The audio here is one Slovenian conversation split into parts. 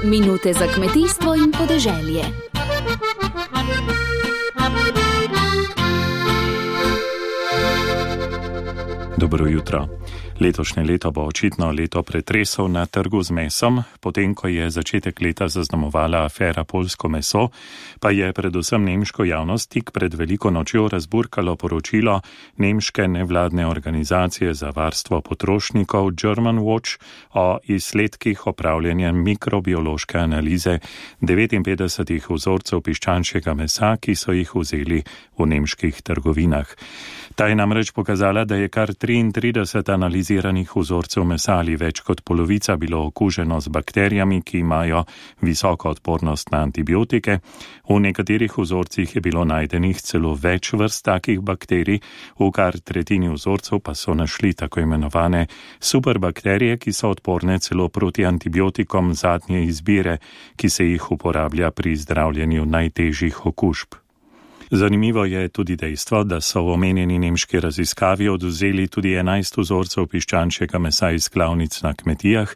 Minute za kmetijstvo in podeželje. Dobro jutro. Letošnje leto bo očitno leto pretresov na trgu z mesom, potem ko je začetek leta zaznamovala afera Poljsko meso, pa je predvsem nemško javnost tik pred veliko nočjo razburkalo poročilo nemške nevladne organizacije za varstvo potrošnikov German Watch o izsledkih opravljanja mikrobiološke analize 59 vzorcev piščančjega mesa, ki so jih vzeli v nemških trgovinah. Ta je namreč pokazala, da je kar 33 analiziranih vzorcev mesa ali več kot polovica bilo okuženo z bakterijami, ki imajo visoko odpornost na antibiotike. V nekaterih vzorcih je bilo najdenih celo več vrst takih bakterij, v kar tretjini vzorcev pa so našli tako imenovane superbakterije, ki so odporne celo proti antibiotikom zadnje izbire, ki se jih uporablja pri zdravljenju najtežjih okužb. Zanimivo je tudi dejstvo, da so v omenjeni nemški raziskavi odvzeli tudi 11 vzorcev piščančjega mesa iz klavnic na kmetijah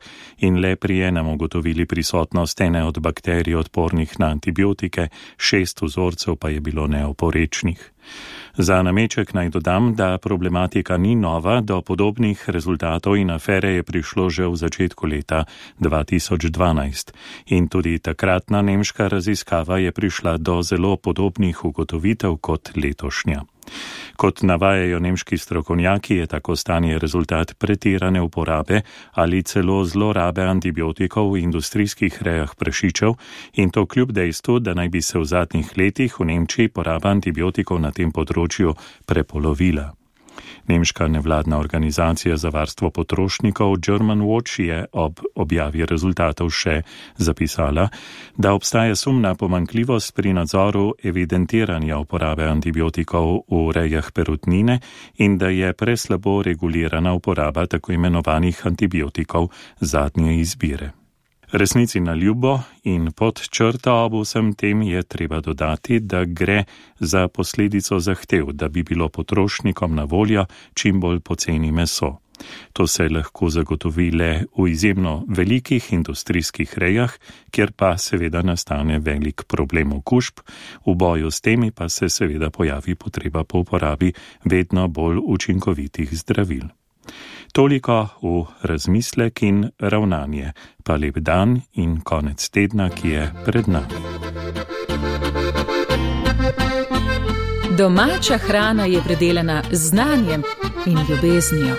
in le pri enem ugotovili prisotnost ene od bakterij odpornih na antibiotike, 6 vzorcev pa je bilo neoporečnih. Za nameček naj dodam, da problematika ni nova, do podobnih rezultatov in afere je prišlo že v začetku leta 2012 in tudi takratna nemška raziskava je prišla do zelo podobnih ugotovitev kot letošnja. Kot navajajo nemški strokovnjaki, je tako stanje rezultat pretirane uporabe ali celo zlorabe antibiotikov v industrijskih rejah prašičev in to kljub dejstvu, da naj bi se v zadnjih letih v Nemčiji poraba antibiotikov na tem področju prepolovila. Nemška nevladna organizacija za varstvo potrošnikov German Watch je ob objavi rezultatov še zapisala, da obstaja sum na pomanjkljivost pri nadzoru evidentiranja uporabe antibiotikov v rejah perutnine in da je preslabo regulirana uporaba tako imenovanih antibiotikov zadnje izbire. Resnici na ljubo in pod črto ob vsem tem je treba dodati, da gre za posledico zahtev, da bi bilo potrošnikom na voljo čim bolj poceni meso. To se lahko zagotovi le v izjemno velikih industrijskih rejah, kjer pa seveda nastane velik problem okužb, v boju s temi pa se seveda pojavi potreba po uporabi vedno bolj učinkovitih zdravil. Toliko v razmislek in ravnanje, pa lep dan in konec tedna, ki je pred nami. Domača hrana je predelana z znanjem in ljubeznijo.